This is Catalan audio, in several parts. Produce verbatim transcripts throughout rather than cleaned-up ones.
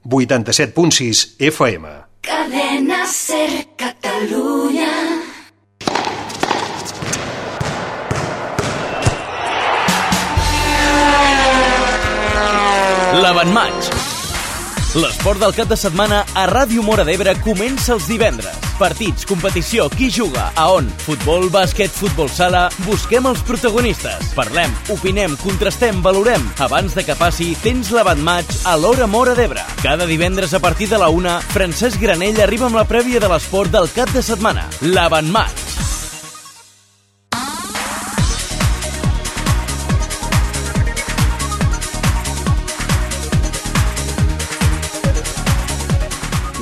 vuitanta-set punt sis F M. Cadena Ser Catalunya. L'Avantmatx. L'esport del cap de setmana a Ràdio Móra d'Ebre comença els divendres. Partits, competició, qui juga, a on? Futbol, bàsquet, futbol sala... Busquem els protagonistes. Parlem, opinem, contrastem, valorem. Abans de que passi, tens l'Avantmatx a l'Hora Móra d'Ebre. Cada divendres a partir de la una, Francesc Granell arriba amb la prèvia de l'esport del cap de setmana. L'Avantmatx.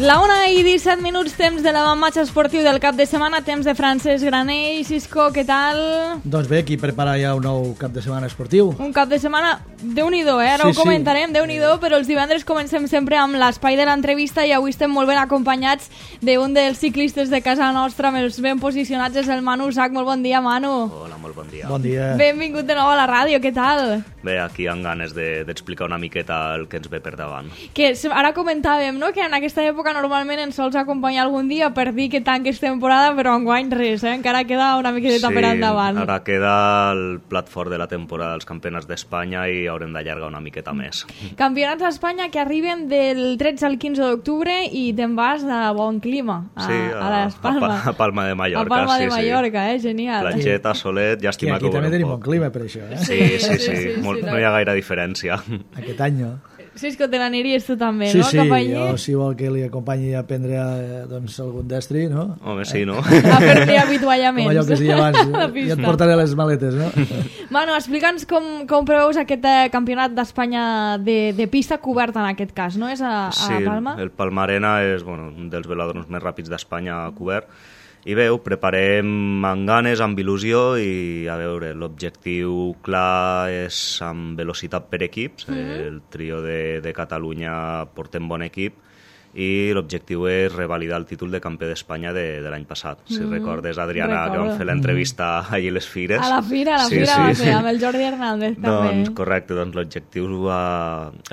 La una i disset minuts, temps de l'Avantmatx esportiu del cap de setmana, temps de Francesc Granell. Cisco, què tal? Doncs bé, aquí prepara ja un nou cap de setmana esportiu. Un cap de setmana, déu-n'hi-do, eh? Ara sí, ho comentarem, sí. déu-n'hi-do, però els divendres comencem sempre amb l'espai de l'entrevista i avui estem molt ben acompanyats d'un dels ciclistes de casa nostra, més ben posicionats, és el Manu Sac. Molt bon dia, Manu. Hola, molt bon dia. Bon dia. Benvingut de nou a la ràdio, què tal? Bé, aquí amb ganes d'explicar de, una miqueta el que ens ve per davant. Que ara comentàvem, no?, que en aquesta època normalment ens sols acompanyar algun dia per dir que tanques temporada, però enguany res, eh? Encara queda una miqueta sí, per endavant. Ara queda el plat fort de la temporada dels campionats d'Espanya i haurem d'allargar una miqueta més. Campionats d'Espanya que arriben del tretze al quinze d'octubre i te'n vas de bon clima a, sí, a, a les Palmes. A, a Palma de Mallorca. A Palma sí, de Mallorca, sí. eh? Genial. Platgeta, solet, llàstima que que aquí també tenim bon clima per això, eh? Sí, sí, sí, sí, sí. Molt, no hi ha gaire diferència. Aquest any no. Cisco, te n'aniries tu també, sí, no? Sí, Cap sí, jo si vol que li acompanyi a prendre doncs, algun destri, no? Home, sí, no? A fer-li avituallaments. Com allò que es deia abans, i et portaré les maletes, no? Manu, explica'ns com, com preveus aquest eh, campionat d'Espanya de, de pista coberta en aquest cas, no? És a, a sí, Palma? El, el Palmarena és bueno, un dels velòdroms més ràpids d'Espanya cobert. I bé, ho preparem amb ganes, amb il·lusió i, a veure, l'objectiu clar és amb velocitat per equips. Mm-hmm. El trio de, de Catalunya portem bon equip i l'objectiu és revalidar el títol de campió d'Espanya de, de l'any passat. Si mm, recordes, Adriana, recordo. Que vam fer l'entrevista allí a les Fires. A la Fira, a la sí, Fira sí, va sí. fer, amb el Jordi Hernández també. Doncs correcte, doncs l'objectiu,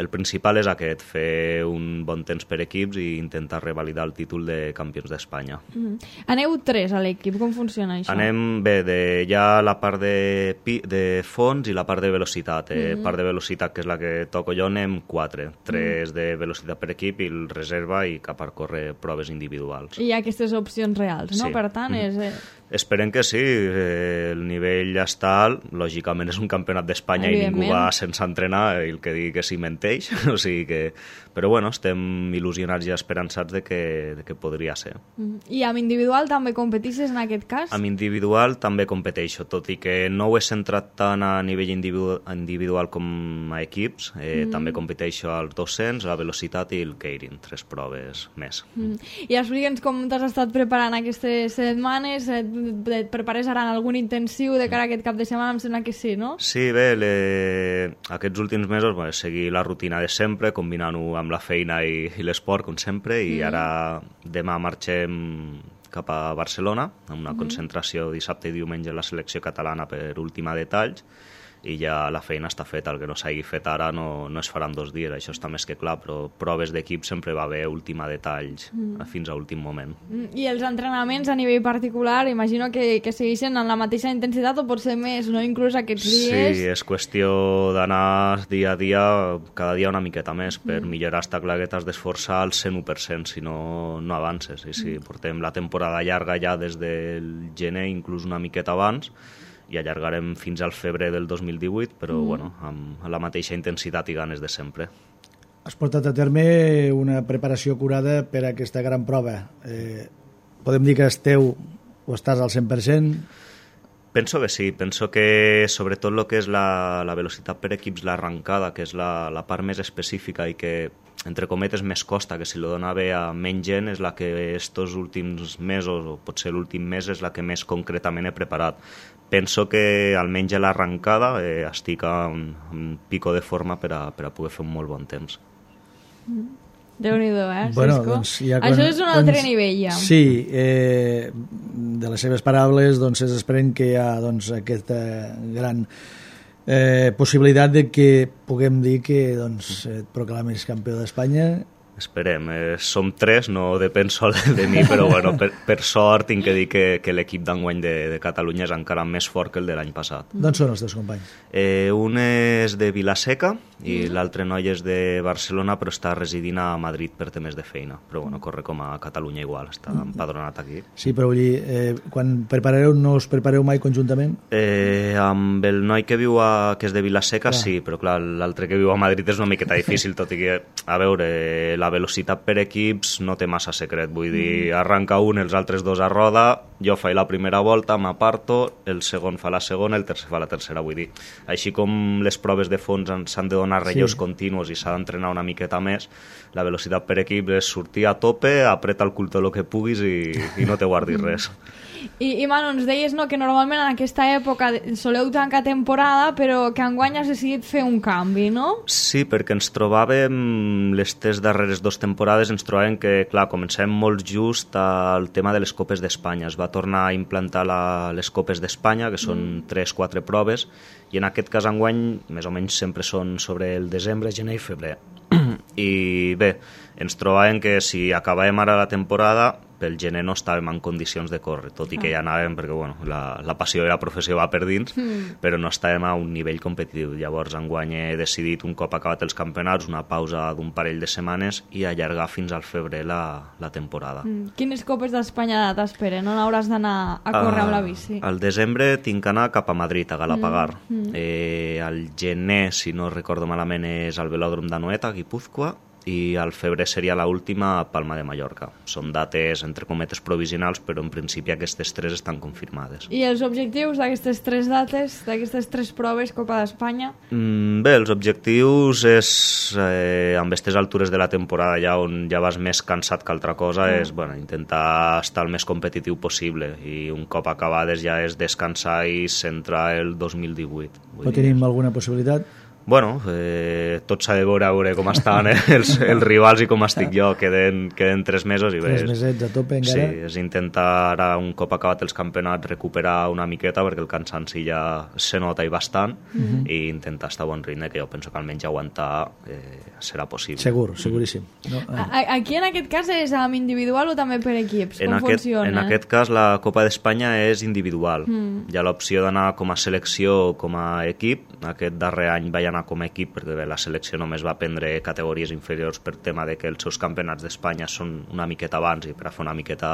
el principal és aquest, fer un bon temps per equips i intentar revalidar el títol de campions d'Espanya. Mm. Aneu tres a l'equip, com funciona això? Anem bé, de, ja la part de, de fons i la part de velocitat. Eh, mm. Part de velocitat, que és la que toco jo, anem quatre. Tres mm. de velocitat per equip i el reserva i cap a córrer proves individuals. I hi ha aquestes opcions reals, no? Sí. Per tant, és... Eh... Esperem que sí, eh, el nivell ja està alt, lògicament és un campionat d'Espanya i ningú va sense entrenar, i el que digui que sí menteix, o sigui que... Però bueno, estem il·lusionats i esperançats de que, de que podria ser. I amb individual també competeixes en aquest cas? Amb individual també competeixo, tot i que no ho he centrat tant a nivell individu individual com a equips, eh, mm. també competeixo als dos-cents, la velocitat i el keirin, tres proves més. Mm. I explica'ns com t'has estat preparant aquestes setmanes, et prepares ara en algun intensiu de cara a aquest cap de setmana? Em sembla que sí, no? Sí, bé, le... aquests últims mesos bueno, seguir la rutina de sempre, combinant-ho amb la feina i, i l'esport, com sempre, i mm. ara demà marxem cap a Barcelona, amb una mm. concentració dissabte i diumenge a la selecció catalana per última de talls, i ja la feina està feta, el que no s'hagi fet ara no, no es farà en dos dies, això està més que clar, però proves d'equip sempre va haver última detalls mm. fins a últim moment. Mm. I els entrenaments a nivell particular, imagino que, que segueixen en la mateixa intensitat o potser més, no? Inclús aquests dies... Sí, és qüestió d'anar dia a dia, cada dia una miqueta més, per mm. millorar està clar que t'has d'esforçar al cent u per cent, si no, no avances. I sí, portem la temporada llarga ja des del gener, inclús una miqueta abans, i allargarem fins al febrer del dos mil divuit, però mm. bueno, amb la mateixa intensitat i ganes de sempre. Has portat a terme una preparació curada per a aquesta gran prova. Eh, podem dir que esteu o estàs al cent per cent? Penso que sí, penso que sobretot el que és la, la velocitat per equips, l'arrencada, que és la, la part més específica i que, entre cometes, més costa, que si lo dona bé a menys gent, és la que estos últims mesos, o potser l'últim mes, és la que més concretament he preparat. Penso que almenys a l'arrencada eh, estic en un pico de forma per a, per a poder fer un molt bon temps. Déu-n'hi-do, eh, bueno, Cisco? Doncs ja quan, Això és un altre quan, nivell, ja. Sí, eh, de les seves paraules doncs, es desprèn que hi ha doncs, aquesta gran eh, possibilitat de que puguem dir que doncs, et proclamis campió d'Espanya esperem. Eh, som tres, no depèn sol de mi, però bueno, per, per sort tinc que dir que, que l'equip d'enguany de, de Catalunya és encara més fort que el de l'any passat. D'on són els teus companys? Eh, un és de Vilaseca i mm. l'altre noi és de Barcelona, però està residint a Madrid per temes de feina. Però bueno, corre com a Catalunya igual, està mm. empadronat aquí. Sí, però vull dir, eh, quan prepareu, no us prepareu mai conjuntament? Eh, amb el noi que viu a, que és de Vilaseca, clar. Sí, però clar, l'altre que viu a Madrid és una miqueta difícil, tot i que, a veure, la velocitat per equips no té massa secret, vull dir, arranca un, els altres dos a roda, jo faig la primera volta, m'aparto, el segon fa la segona, el tercer fa la tercera, vull dir. Així com les proves de fons s'han de donar relleus sí. continus i s'ha d'entrenar una miqueta més, la velocitat per equip és sortir a tope, apreta el cul tot el que puguis i, i no te guardis res. I, i Manu, ens deies no, que normalment en aquesta època soleu tancar temporada, però que enguany has decidit fer un canvi, no? Sí, perquè ens trobàvem, les tres darreres dues temporades, ens trobàvem que, clar, comencem molt just al tema de les Copes d'Espanya. Es va tornar a implantar la, les Copes d'Espanya, que són mm. tres quatre proves, i en aquest cas enguany, més o menys sempre són sobre el desembre, gener i febrer. I bé, ens trobàvem que si acabàvem ara la temporada, pel gener no estàvem en condicions de córrer, tot i que ja anàvem perquè bueno, la, la passió i la professió va per dins, mm. però no estàvem a un nivell competitiu. Llavors enguany he decidit, un cop acabat els campionats, una pausa d'un parell de setmanes i allargar fins al febrer la, la temporada. Mm. Quines Copes d'Espanya t'esperen? On hauràs d'anar a córrer uh, amb la bici? Al desembre tinc que anar cap a Madrid, a Galapagar. Mm. Mm. Eh, al gener, si no recordo malament, és al velòdrom d'Anoeta, a Guipúzcoa, i al febrer seria l'última a Palma de Mallorca. Són dates, entre cometes, provisionals, però en principi aquestes tres estan confirmades. I els objectius d'aquestes tres dates, d'aquestes tres proves, Copa d'Espanya? Mm, bé, els objectius és, eh, amb aquestes altures de la temporada, ja on ja vas més cansat que altra cosa, mm. és bueno, intentar estar el més competitiu possible, i un cop acabades ja és descansar i centrar el dos mil divuit. Però tenim alguna possibilitat? Bueno, eh, tot s'ha de veure, veure com estan eh, els, els rivals i com estic jo. Queden, queden tres mesos i bé. Tres mesets a tope encara. Sí, és intentar ara, un cop acabat els campionats, recuperar una miqueta, perquè el cansanci ja se nota i bastant, mm-hmm. i intentar estar a bon ritme, que jo penso que almenys aguantar eh, serà possible. Segur, seguríssim. No? Ah. Aquí en aquest cas és amb individual o també per equips? Com en aquest, funciona? En aquest cas la Copa d'Espanya és individual. Mm. Hi ha l'opció d'anar com a selecció o com a equip. Aquest darrer any vaig anar com a equip perquè bé, la selecció només va prendre categories inferiors per tema de que els seus campionats d'Espanya són una miqueta abans i per a fer una miqueta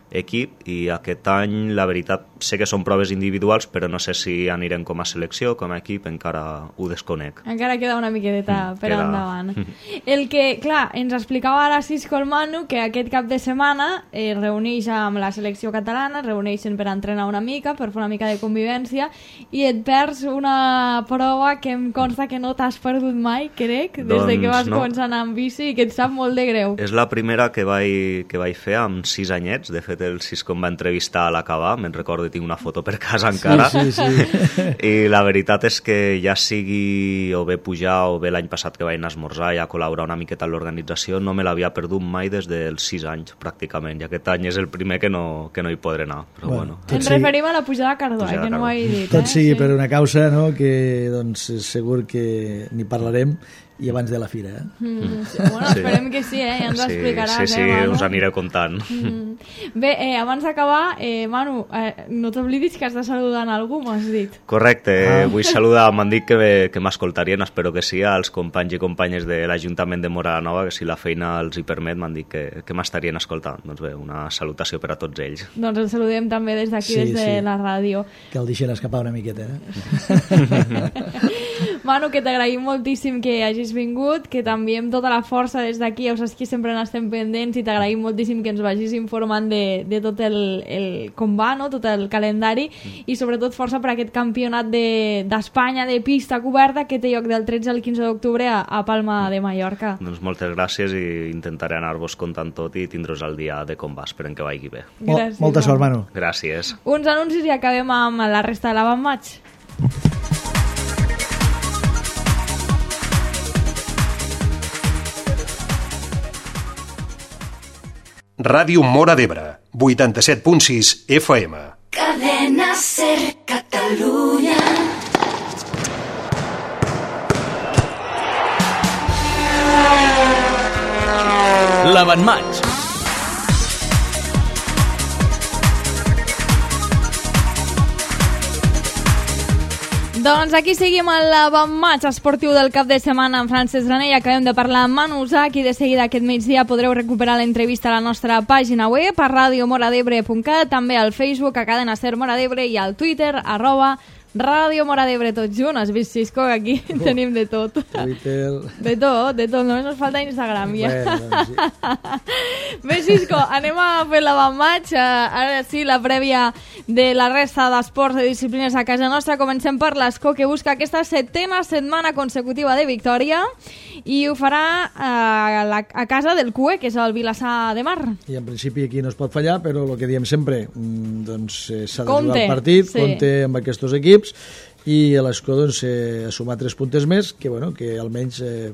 equip, i aquest any la veritat sé que són proves individuals, però no sé si anirem com a selecció, com a equip, encara ho desconec. Encara queda una miqueta mm, per queda... endavant. El que, clar, ens explicava ara Cisco el Manu, que aquest cap de setmana es eh, reuneix amb la selecció catalana, es reuneixen per entrenar una mica, per fer una mica de convivència, i et perds una prova que em consta que no t'has perdut mai, crec, des doncs, de que vas no. començar a anar amb bici, i que et sap molt de greu. És la primera que vaig, que vaig fer amb sis anyets. De fet, el Cisco em va entrevistar a l'acabar, me'n recordo, tinc una foto per casa encara, sí, sí, sí. I la veritat és que ja sigui o bé pujar o bé l'any passat que vaig anar a esmorzar i a col·laborar una miqueta en l'organització, no me l'havia perdut mai des dels sis anys, pràcticament, i aquest any és el primer que no, que no hi podré anar, però bueno. bueno. Ens referim a la pujada a Cardó, eh, que no ho he dit. Tot eh? sigui sí. per una causa, no?, que doncs, segur que n'hi parlarem, i abans de la fira, eh? Mm, sí. Bueno, esperem sí. que sí, eh? Ja ens ho sí, explicaràs, sí, sí, eh, Manu? us aniré contant. Mm. Bé, eh, abans d'acabar, eh, Manu, eh, no t'oblidis que has de saludar a algú, m'has dit. Correcte, ah. vull saludar, m'han dit que, que m'escoltarien, espero que sí, als companys i companyes de l'Ajuntament de Móra la Nova, que si la feina els hi permet, m'han dit que, que m'estarien escoltant. Doncs bé, una salutació per a tots ells. Doncs el saludem també des d'aquí, sí, des de sí. la ràdio. Que el deixen escapar una miqueta, eh? Manu, que t'agraïm moltíssim que hagis vingut, que t'enviem tota la força des d'aquí, ja saps que sempre n'estem pendents, i t'agraïm moltíssim que ens vagis informant de, de tot el, el com va, no? Tot el calendari, i sobretot força per aquest campionat d'Espanya de, de pista coberta que té lloc del tretze al quinze d'octubre a, a Palma de Mallorca. Doncs moltes gràcies, i intentaré anar-vos contant tot i tindre's el dia de com va, esperem que vagi bé. Gràcies, Molta sort, Manu. Gràcies. Uns anuncis i acabem amb la resta de l'avantmatx. Ràdio Móra d'Ebre, vuitanta-set punt sis F M. Cadena Ser Catalunya. l'Avantmatch. Doncs aquí seguim a l'avantmatch esportiu del cap de setmana amb Francesc Granell. Acabem de parlar amb Manu Usach i de seguida aquest migdia podreu recuperar l'entrevista a la nostra pàgina web a radio moradebre punt cat, també al Facebook a Cadena Ser Mora d'Ebre i al Twitter arroba Ràdio Mora d'Ebre, tot junt. Has vist, Xisco, que aquí oh, tenim de tot. Twitter... De tot, de tot. Només ens falta Instagram, ja. Bueno, doncs sí. Bé, Xisco, anem a fer l'avantmatch. Ara sí, la prèvia de la resta d'esports i disciplines a casa nostra. Comencem per l'Escó, que busca aquesta setena setmana consecutiva de victòria i ho farà a, la, a casa del C U E, que és el Vilassar de Mar. I en principi aquí no es pot fallar, però el que diem sempre, doncs s'ha de Compte, jugar el partit, sí. compte amb aquests equips, i a l'Escó doncs, eh, ha sumat tres puntes més, que, bueno, que almenys eh,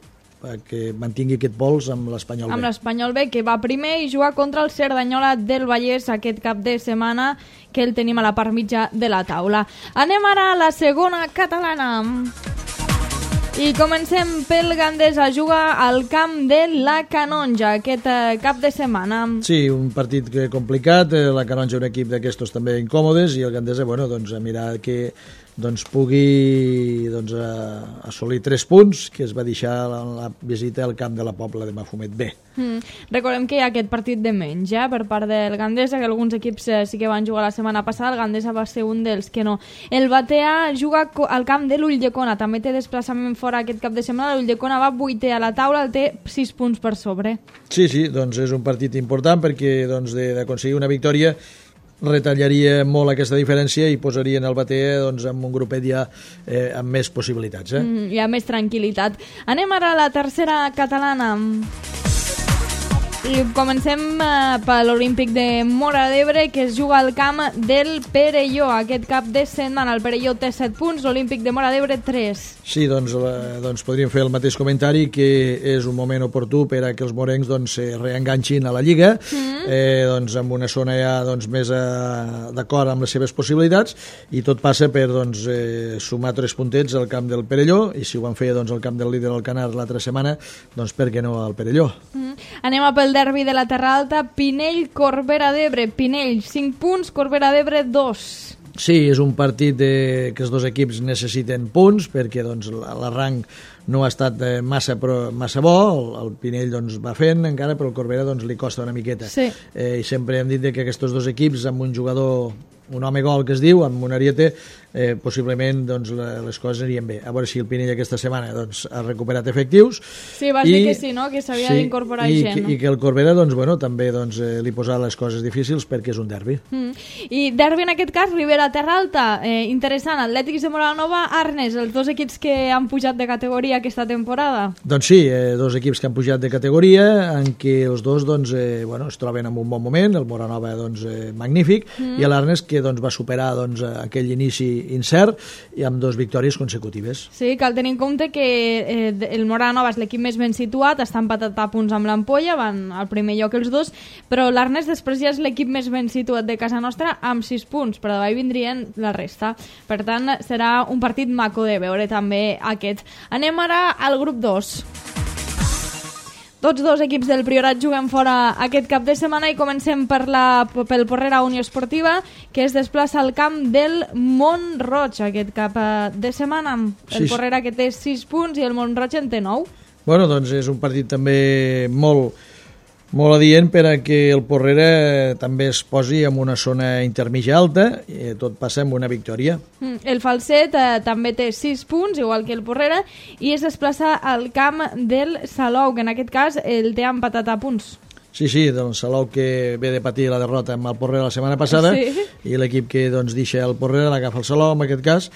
que mantingui aquest pols amb l'Espanyol B. Amb l'Espanyol B, que va primer i juga contra el Cerdanyola del Vallès aquest cap de setmana, que el tenim a la part mitja de la taula. Anem ara a la segona catalana. I comencem pel Gandesa, juga al camp de la Canonja aquest eh, cap de setmana. Sí, un partit complicat, eh, la Canonja un equip d'aquestos també incòmodes i el Gandesa, bueno, doncs a mirar que doncs pugui doncs, a, assolir tres punts que es va deixar la, la visita al camp de la Pobla de Mafumet B. Mm. Recordem que hi ha aquest partit de menys eh, per part del Gandesa, que alguns equips eh, sí que van jugar la setmana passada, el Gandesa va ser un dels que no. El Batea juga al camp de l'Ulldecona, també té desplaçament fora aquest cap de setmana, l'Ulldecona va vuitè a la taula, el té sis punts per sobre. Sí, sí, doncs és un partit important perquè doncs, d'aconseguir una victòria retallaria molt aquesta diferència i posarien el Batea doncs, amb un grupet ja eh, amb més possibilitats. Eh? Mm, hi ha més tranquil·litat. Anem ara a la tercera catalana. I comencem eh, per l'Olímpic de Mora d'Ebre, que es juga al camp del Perelló. Aquest cap de setmana el Perelló té set punts, l'Olímpic de Mora d'Ebre tres. Sí, doncs, la, doncs podríem fer el mateix comentari, que és un moment oportú per a que els morencs doncs, se reenganxin a la Lliga, mm. eh, doncs, amb una zona ja doncs, més a, d'acord amb les seves possibilitats, i tot passa per doncs, eh, sumar tres puntets al camp del Perelló, i si ho van fer doncs, al camp del líder Alcanar l'altra setmana, doncs per què no al Perelló? Mm. Anem a pel derbi de la Terra Alta, Pinell-Corbera d'Ebre. Pinell, cinc punts, Corbera d'Ebre, dos. Sí, és un partit de, que els dos equips necessiten punts perquè doncs, l'arranc no ha estat massa, però, massa bo, el, el Pinell doncs, va fent encara, però el Corbera doncs, li costa una miqueta. Sí. Eh, I sempre hem dit que aquests dos equips, amb un jugador, un home gol que es diu, amb un ariete, eh, possiblement doncs, les coses anirien bé. A veure si el Pinell aquesta setmana doncs, ha recuperat efectius. Sí, vas I, dir que sí, no? Que s'havia sí, d'incorporar i, gent. I, no? I que el Corbera doncs, bueno, també doncs, eh, li posa les coses difícils perquè és un derbi. Mm. I derbi en aquest cas, Ribera Terra Alta, eh, interessant, Atlètics de Moranova, Arnes, els dos equips que han pujat de categoria aquesta temporada. Doncs sí, eh, dos equips que han pujat de categoria, en què els dos doncs, eh, bueno, es troben en un bon moment, el Moranova doncs, eh, magnífic, mm. i l'Arnes que doncs, va superar doncs, aquell inici incert i amb dues victòries consecutives. Sí, cal tenir en compte que eh, el Moranova és l'equip més ben situat, està empatat a punts amb l'Ampolla, van al primer lloc els dos, però l'Arnes després ja és l'equip més ben situat de casa nostra amb sis punts, però davall vindrien la resta. Per tant, serà un partit maco de veure també aquest. Anem ara al grup dos. Tots dos equips del Priorat juguen fora aquest cap de setmana i comencem per la, pel Porrera Unió Esportiva, que es desplaça al camp del Mont-roig aquest cap de setmana. El sí, Porrera que té sis punts i el Mont-roig en té nou. Bueno, doncs és un partit també molt, molt adient per a que el Porrera també es posi en una zona intermitja alta, i tot passa amb una victòria. El Falset eh, també té sis punts, igual que el Porrera, i es desplaça al camp del Salou, que en aquest cas el té empatat a punts. Sí, sí, doncs Salou que ve de patir la derrota amb el Porrera la setmana passada, sí. I l'equip que doncs, deixa el Porrera l'agafa el Salou, en aquest cas,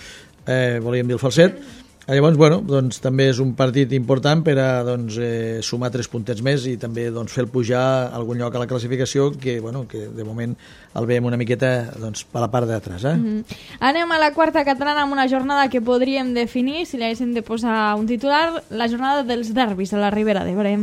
eh, volíem dir el Falset. Llavors, bueno, doncs, també és un partit important per a doncs, eh, sumar tres puntets més i també doncs, fer el pujar a algun lloc a la classificació que, bueno, que de moment el veiem una miqueta doncs, per la part d'atrás. Eh? Mm-hmm. Anem a la quarta catalana amb una jornada que podríem definir, si li haguéssim de posar un titular, la jornada dels derbis a la Ribera d'Ebre.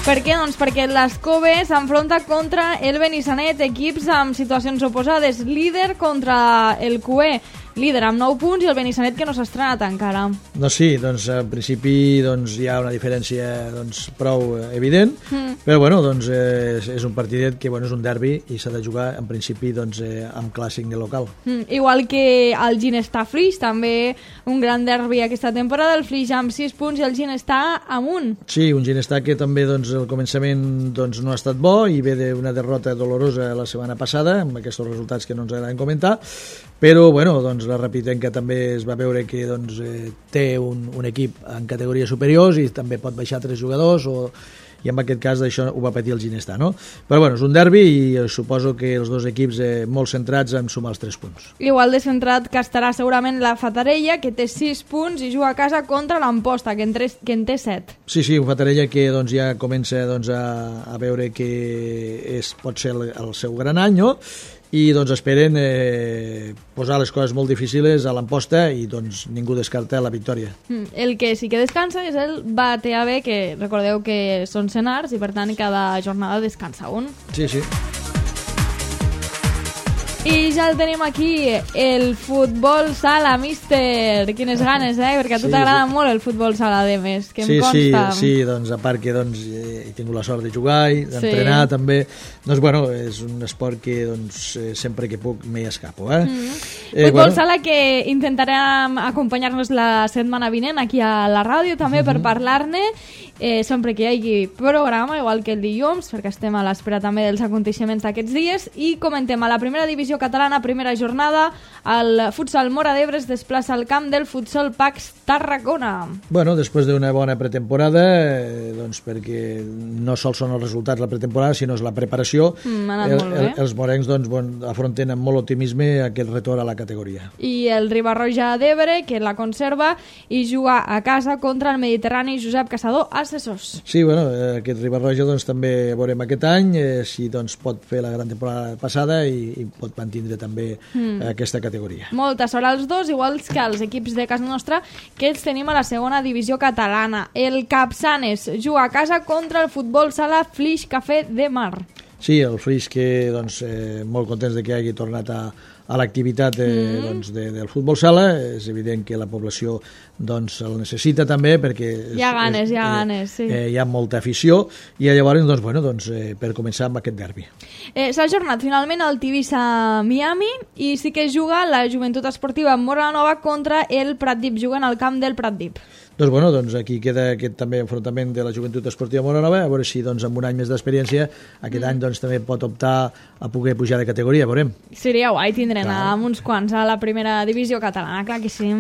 Per què? Doncs perquè l'Escove s'enfronta contra el Benissanet, equips amb situacions oposades, líder contra el C U E. líder amb nou punts, i el Benissanet que no s'ha estrenat encara. No, sí, doncs en principi doncs, hi ha una diferència doncs, prou evident, mm. però bueno, doncs, eh, és un partidet que bueno, és un derbi i s'ha de jugar en principi doncs, eh, amb clàssic de local. Mm, igual que el Ginestar Flix, també un gran derbi aquesta temporada, el Flix amb sis punts i el Ginestar amb un. Sí, un Ginestar que també doncs, al començament doncs, no ha estat bo i ve d'una derrota dolorosa la setmana passada, amb aquests resultats que no ens agraden comentar, però bueno, doncs, la Rapitenca també es va veure que doncs, eh, té un, un equip en categories superiors i també pot baixar tres jugadors o, i en aquest cas això ho va patir el Ginestar, no? Però bueno, és un derbi i eh, suposo que els dos equips eh, molt centrats en sumar els tres punts. Igual de centrat que estarà segurament la Fatarella, que té sis punts i juga a casa contra l'Amposta, que, en tres, que en té set. Sí, sí, un Fatarella que doncs, ja comença doncs, a, a veure que és, pot ser el, el seu gran any, no? I doncs esperen eh, posar les coses molt difícils a l'Amposta i doncs ningú descarta la victòria. El que sí que descansa és el Batea B, que recordeu que són senars i per tant cada jornada descansa un. Sí, sí. I ja el tenim aquí, el futbol sala, míster. Quines ganes, eh? Perquè a tu sí, t'agrada sí. molt el futbol sala, de més, que sí, em consta. Sí, sí, doncs a part que doncs, he tingut la sort de jugar i d'entrenar sí. també. Doncs bueno, és un esport que doncs, sempre que puc m'hi escapo, eh? Mm. eh futbol bueno. sala que intentarem acompanyar-nos la setmana vinent aquí a la ràdio també mm-hmm. per parlar-ne. Eh, sempre que hi hagi programa, igual que el dilluns, perquè estem a l'espera també dels aconteixements d'aquests dies, i comentem a la primera divisió catalana, primera jornada, el futsal Móra d'Ebre es desplaça al camp del futsal Pax Tarragona. Bueno, després d'una bona pretemporada, eh, doncs perquè no sols són els resultats la pretemporada, sinó és la preparació, mm, el, el, els morencs doncs, bon, afronten amb molt optimisme aquest retorn a la categoria. I el Riba-roja d'Ebre, que la conserva i juga a casa contra el Mediterrani Josep Caçador Assessors. Sí, bueno, aquest Riba-roja doncs, també veurem aquest any eh, si doncs, pot fer la gran temporada passada i, i pot mantindre també mm. aquesta categoria. Molta sort als dos, iguals que els equips de casa nostra, que els tenim a la segona divisió catalana. El Capçanes juga a casa contra el futbol sala Flix Cafè de Mar. Sí, el Flix que doncs, eh, molt contents de que hagi tornat a, a l'activitat eh, mm. doncs, de, del futbol sala. És evident que la població doncs, el necessita també perquè hi ha ganes, és, hi ha eh, ganes, sí. Eh, hi ha molta afició i llavors doncs, bueno, doncs, eh, per començar amb aquest derbi. Eh, S'ha ajornat finalment el Tivissa Miami i sí que juga la Joventut Esportiva Móra la Nova contra el Pratdip, juguen al camp del Pratdip. Doncs, bueno, doncs aquí queda aquest també enfrontament de la Joventut Esportiva Móra Nova, a veure si doncs, amb un any més d'experiència aquest mm. any doncs, també pot optar a poder pujar de categoria, veurem. Seria guai tindre'n amb uns quants a la primera divisió catalana, clar que sí.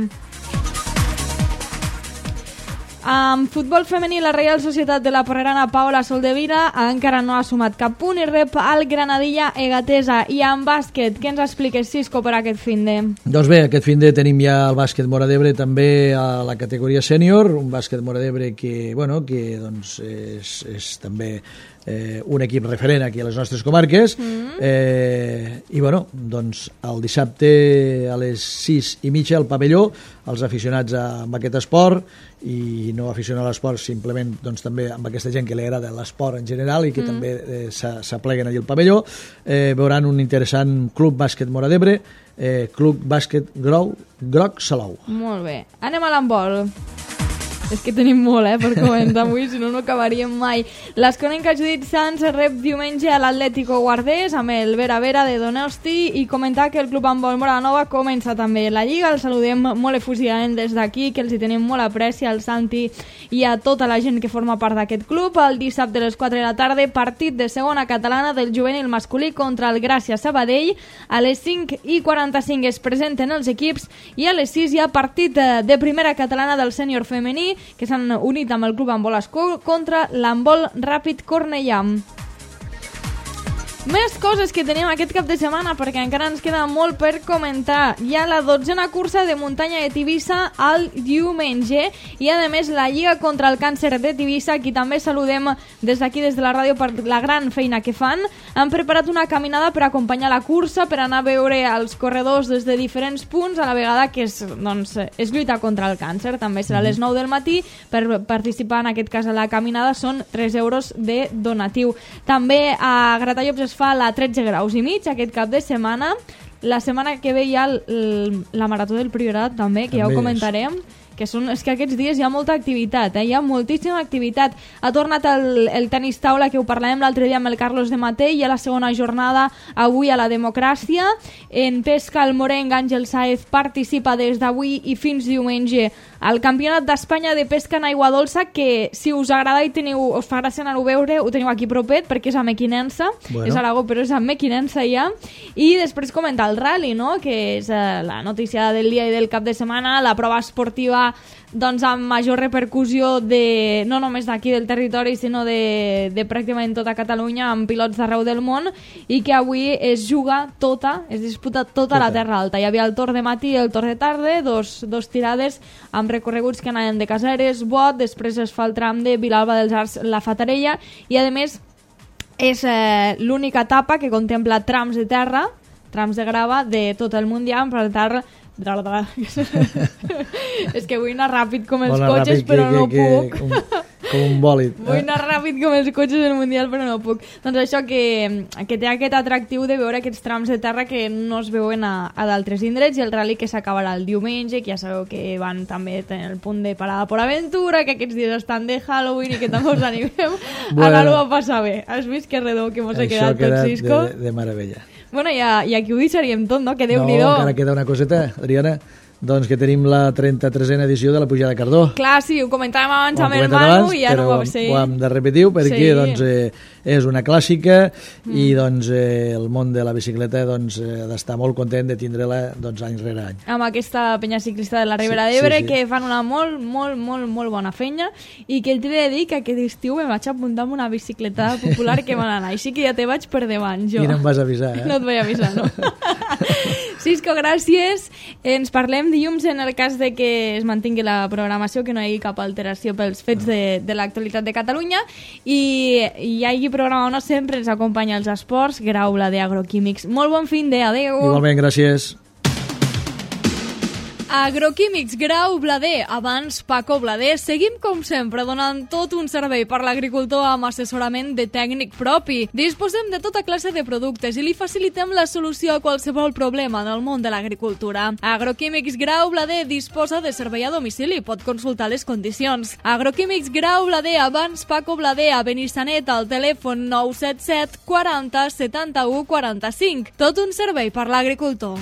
En futbol femení, la Reial Societat de la Porrerana Paola Soldevila encara no ha sumat cap punt i rep al Granadilla Egatesa. I en bàsquet, què ens expliques, Cisco, per aquest finde? Doncs bé, aquest finde tenim ja el bàsquet Móra d'Ebre també a la categoria sènior, un bàsquet Móra d'Ebre que, bueno, que doncs, és, és també eh, un equip referent aquí a les nostres comarques mm. eh, i bueno, doncs el dissabte a les sis i mitja al pavelló els aficionats a, amb aquest esport i no aficionar a l'esport simplement doncs, també amb aquesta gent que li agrada l'esport en general i que mm. també eh, s'apleguen allà al pavelló eh, veuran un interessant club bàsquet Móra d'Ebre, eh, club bàsquet Grau, Groc Salou. Molt bé, anem a l'handbol. És que tenim molt, eh, per comentar avui, si no, no acabaríem mai. L'Esconenca Judit Sans rep diumenge a l'Atlético Guardés amb el Vera Vera de Donosti i comentar que el Club Handbol Móra Nova comença també la Lliga. El saludem molt efusivament des d'aquí, que els hi tenim molt apreci al Santi i a tota la gent que forma part d'aquest club. El dissabte a les quatre de la tarda, partit de segona catalana del juvenil masculí contra el Gràcia Sabadell. A les cinc i quaranta-cinc es presenten els equips i a les sis hi ha partit de primera catalana del sènior femení que s'han unit amb el Club Handbol Escó contra l'Handbol Ràpid Cornellà. Més coses que tenim aquest cap de setmana perquè encara ens queda molt per comentar. Hi ha la dotzena cursa de muntanya de Tivissa al diumenge i a més la Lliga contra el Càncer de Tivissa, qui també saludem des d'aquí, des de la ràdio, per la gran feina que fan. Han preparat una caminada per acompanyar la cursa, per anar a veure els corredors des de diferents punts, a la vegada que és, doncs, és lluita contra el càncer. També serà a les nou del matí. Per participar en aquest cas a la caminada són tres euros de donatiu. També a Gratallops es fa la tretze graus i mig aquest cap de setmana. la setmana que ve hi ha el, el, la Marató del Priorat també, que també ja ho comentarem. És. Que són, és que aquests dies hi ha molta activitat, eh? Hi ha moltíssima activitat. Ha tornat el, el tenis taula, que ho parlàvem l'altre dia amb el Carlos de Matei, i a la segona jornada avui a la Democràcia. En pesca, el morenc Àngel Sáez participa des d'avui i fins diumenge al Campionat d'Espanya de pesca en aigua dolça, que si us agrada i teniu, us fa gràcia anar-ho a veure, ho teniu aquí propet, perquè és a Mequinensa, bueno. És a Aragó, però és a Mequinensa ja. I després comentar el rally, no?, que és eh, la notícia del dia i del cap de setmana, la prova esportiva doncs amb major repercussió de, no només d'aquí del territori, sinó de, de pràcticament tota Catalunya, amb pilots d'arreu del món, i que avui es juga tota, es disputa tota, tota la Terra Alta. Hi havia el torn de matí i el torn de tarda, dos, dos tirades amb recorreguts que anaven de Caseres, Bot, després es fa el tram de Vilalba dels Arcs, la Fatarella, i a més és eh, l'única etapa que contempla trams de terra, trams de grava de tot el Mundial, per tant és que vull anar ràpid com els Bona cotxes ràpid, però que, no que, puc que, com, com un bòlid vull anar ràpid com els cotxes del Mundial però no puc. Doncs això que, que té aquest atractiu de veure aquests trams de terra que no es veuen a, a d'altres indrets, i el rally que s'acabarà el diumenge, que ja sabeu que van també tenir el punt de parada per aventura, que aquests dies estan de Halloween i que també us animem bueno, a anar-ho a passar bé. Has vist que redó que mos ha quedat tot, Cisco? De, de meravella. Bueno, ja, i aquí ho deixaríem tot, no? Que Déu-n'hi-do. No, encara queda una coseta, Adriana. Doncs que tenim la trenta-tresena edició de la Pujada de Cardó. Clar, sí, ho comentàvem abans amb el Manu i ja no ho va ser. Ho hem de repetir perquè sí. doncs, eh, és una clàssica mm. i doncs, eh, el món de la bicicleta doncs, eh, ha d'estar molt content de tindre-la doncs, any rere any. Amb aquesta penya ciclista de la Ribera sí, d'Ebre sí, sí. que fan una molt, molt, molt, molt bona feina, i que t'he de dir que aquest estiu em vaig apuntar amb una bicicleta popular que van anar, així que ja te vaig per davant jo. I no em vas avisar, eh? No et vaig avisar, no? Cisco, gràcies. Ens parlem dilluns en el cas de que es mantingui la programació, que no hi hagi cap alteració pels fets de, de l'actualitat de Catalunya, i hi hagi programa o no, sempre ens acompanya els esports, Graula de Agroquímics. Molt bon fin de, adeu. Igualment, gràcies. Agroquímics Grau Blader, abans Paco Blader. Seguim com sempre donant tot un servei per l'agricultor amb assessorament de tècnic propi. Disposem de tota classe de productes i li facilitem la solució a qualsevol problema en el món de l'agricultura. Agroquímics Grau Blader disposa de servei a domicili, pot consultar les condicions. Agroquímics Grau Blader, abans Paco Blader, a Benissanet, al telèfon nou set set quaranta setanta-u quaranta-cinc. Tot un servei per l'agricultor.